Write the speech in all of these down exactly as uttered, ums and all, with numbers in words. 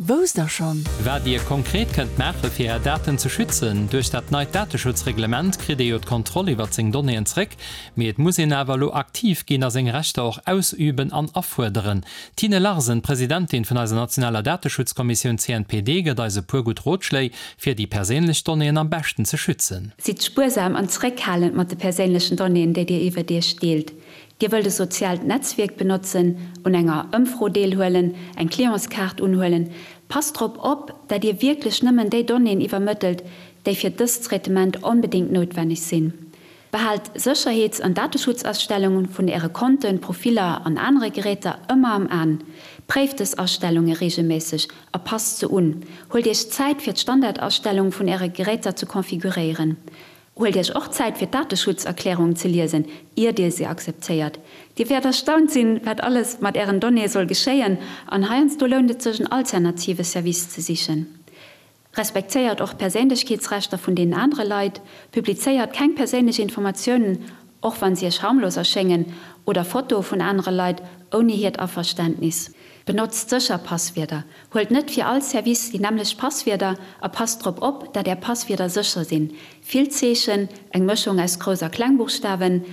Wousst der schonn? Wat Dir konkret kënnt maache fir Är Daten ze schützen. Duerch dat neit Dateschutzreglement kritt ee jo d'Kontroll iwwer seng Donnéeën zréck, mee et muss een awer elo aktiv ginn a seng Rechter och ausüben an afuerderen. D'Tine Larsen, Presidentin vun eiser nationaler Dateschutzkommissioun C N P D, gëtt eis e puer gutt Rotschléi, fir déi perséinlech Donnéeën am beschten ze schützen. Sidd spuersam an zréckhalend mat de perséinlechen Donnéeën, déi Dir iwwer Iech deelt. Dir wëllt e soziaalt Netzwierk benotzen, un enger Ëmfro deelhuelen, eng Clientskaart unhuelen. Passt drop op, dat Dir wierklech nëmmen déi Donnéeën iwwermëttelt, déi fir dëst Traitement onbedéngt noutwenneg sinn. Behaalt Sécherheets an Dateschutzastellunge vun Äre Konten, Profiller an anere Geräter ëmmer am An. Préift dës Astellunge reegelméisseg a passt se un. Huelt Iech Zäit fir d'Standardastellunge vun Äre Geräter ze konfiguréieren. Huelt Iech och Zäit fir d'Dateschutzerklärung ze liesen, ier Dir se akzeptéiert. Dir wäert erstaunt sinn, wat alles mat Ären Donnéeë soll geschéien, an heiansdo lount et sech en alternative Service ze sichen. Respektéiert och d'Perséinlechkeetsrechter vun den anere Leit, publizéiert keng perséinlech Informatiounen, och wann se Iech harmlos erschéngen, oder Fotoe vun anere Leit ouni hiert Averständnis. Benotzt sécher Passwierder. Huelt net fir all Service déi nämmlecht Passwierder a passt drop op, dat Är Passwierder sécher sinn. Vill Zeechen, eng Mëschung aus Grouss a Klengbuchstawen,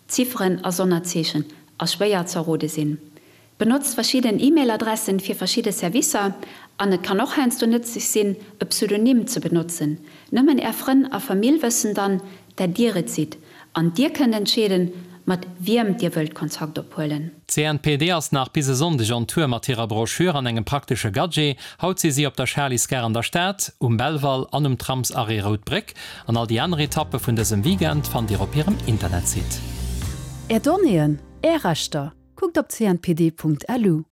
Zifferen a Sonnerzeechen a schwéier z'errode sinn. Benotzt verschidden E-Mail-Adressen fir verschidde Servicer an et kann och heiansdo nëtzlech sinn, e Pseudonym ze benotzen. Nëmmen Är Frënn a Famill wëssen dann, dat Dir et sidd an Dir kënnt entscheeden, mat wiem Dir wëllt Kontakt ophuelen. D'C N P D ass nach bis e Sonndeg on Tour mat hirer Broschür an engem praktesche Gadget. Haut si si op der Charlysgare an der Stad, um Belval an um Tramsarrêt Rout Bréck. An all déi aner Etappe vun dësem Weekend fannt Dir op hirem Internetsite. Är Donnéeën, Är Rechter. Kuckt op C N P D Punkt L U.